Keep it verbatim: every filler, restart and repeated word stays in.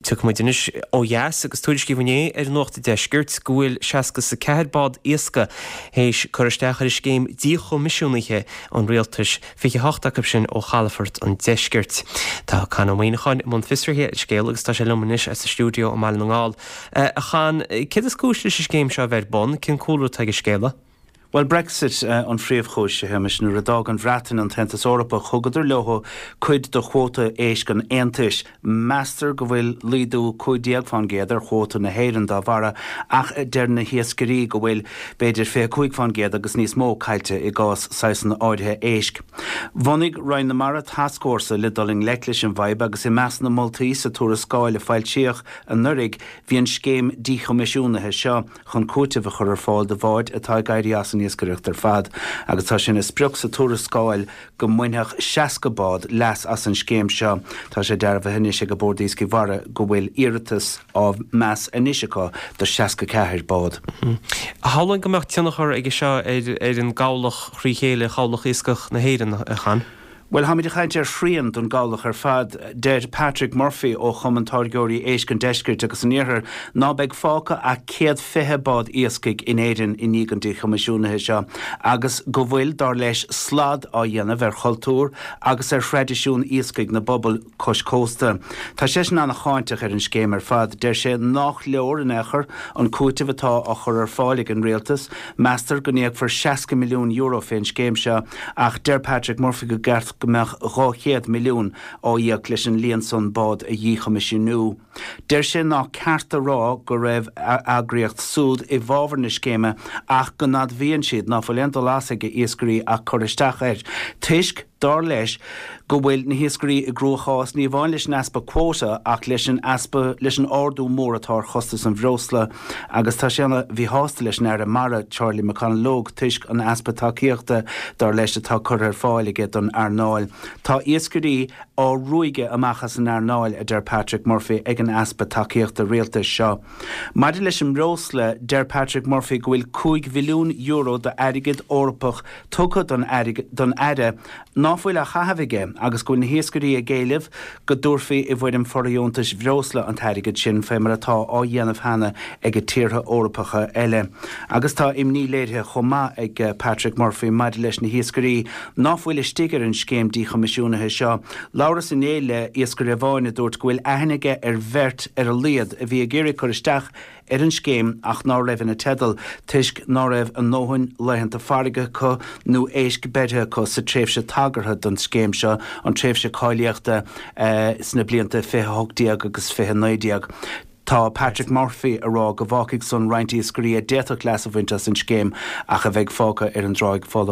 Tiocfaidh muid anois ó dheas agus tuairiscíodh inné ar Nuacht an Deiscirt go bhfuil seasca is a ceathair bád iascaigh théis cur isteach ar scéim díchoimisiúnaithe an rialtais, fiche hocht acu sin ó chalafort an deiscirt. Tá Con Ó Muíneacháin i mbun fiosraithe ar an scéal agus tá sé liom anois as an stiúideo i mBaile na nGall. A Chon, céard is cúis leis an scéim seo a bheith ar bun, cén cúlra atá ag an scéala? Bhuel, Brexit an phríomhchúis, a Shéamais. Nuair a d'fhág an Bhreatain an tAontas Eorpach, thugadar leo cuid de chuóta éisc an Aontais. Meastar go bhfuil laghdú cúig déag fán gcéad ar chuóta na hÉireann dá bharra, ach deir na hiascairí go bhfuil b'fhéidir fiche cúig fán gcéad agus níos mó caillte i gcás saghsanna áirithe éisc. Bhunaigh Roinn na Mara tascfhórsa le dul i ngleic leis an bhfadhb agus i measc na moltaí sa tuarascáil a foilsíodh anuraidh bhí an scéim díchoimisiúnaithe seo chun cúiteamh a chur ar fáil do bháid atá ag éirí as an iascaireacht ar fad agus tá sé ina sprioc sa tuarascáil go mbainfeadh seasca bád leas as an scéim seo. Tá sé dearbhaithe anois ag an Bord Iascaigh Mhara go bhfuil iarratas á meas anois acu do seasca ceathair bád. Shamhlóinn go mbeadh tionchar aige seo ar ar an gcabhlach thrí chéile, chabhlach iascach na hÉireann, a Chon. Bhuel, táimid ag caint ar shrian don gcabhlach ar fad. Deir Patrick Murphy ó Chumann Táirgeoirí Éisc an Deiscirt agus an Iarthair ná beidh fágtha ach céad fiche bád iascaigh in Éirinn i ndiaidh an díchoimisiúnaithe seo agus go bhfuil, dar leis, slad á dhéanamh ar chultúr agus ar thraidisiún iascaigh na bpobal cois cósta. Tá seisean ana-cháinteach ar an scéim ar fad. Deir sé nách leor in aon chor an cúiteamh atá á chur ar fáil ag an rialtas. Meastar go n-íocfar seasca milliún euro fén scéim seo ach deir Patrick Murphy go gceart go mbeadh dhá chéad milliún á íoc leis an líon san bád a dhíchoimisiúnú. Deir sé nach ceart a rá go raibh a eagraíocht súd i bhfabhar na scéime ach go n-admhaíonn siad ná fuil aon dul as ag iascairí ach cur isteach air toisc, dar leis, go bhfuil na hiascairí i gcruachás ní amháin leis an easpa quota ach leis an easpa leis an ardú mór atá ar chostas an bhreosla agus tá sé ana mhíshásta leis an Aire Mara Charlie McConalogue toisc an easpa tacaíochta dar leis atá curtha ar fáil aige don earnáil. Tá iascairí á ruaigeadh amach as an earnáil, a deir Patrick Murphy, ag an easpa tacaíochta rialtais seo. Maidir leis an mbreosla, deir Patrick Murphy go bhfuil cúig bhilliún euro d'airgead Eorpach tugtha don don Aire ná fuil á chaitheamh aige agus go bhfuil na hiascairí ag éileamh go dtabharfaí i bhfoirm fordheontais bhreosla an t-airgead sin, fé mar atá á dhéanamh cheana ag tíortha Eorpacha eile. Agus tá imní léirithe chomh maith ag Patrick Murphy maidir leis na hiascairí ná fuil istigh ar an scéim díchoimisiúnaithe seo. Labhras inné le iascaire amháin a dúirt go bhfuil aithne aige ar bheirt ar a laghad a bhí ag iarraidh cur isteach ar an scéim ach ná raibh ina teideal toisc ná raibh a ndóthain laethanta farraige acu nó éisc beirthe acu sa tréimhse tagartha don scéim seo, an tréimhse cáilíochta sna blianta fiche a hocht déag agus fiche naoi déag. Tá Patrick Murphy ag rá go bhfágfaidh san roinnt iascairí a d'fhéadfadh leas a bhaint as an scéim ach a bheidh fágtha ar an dtráigh folamh.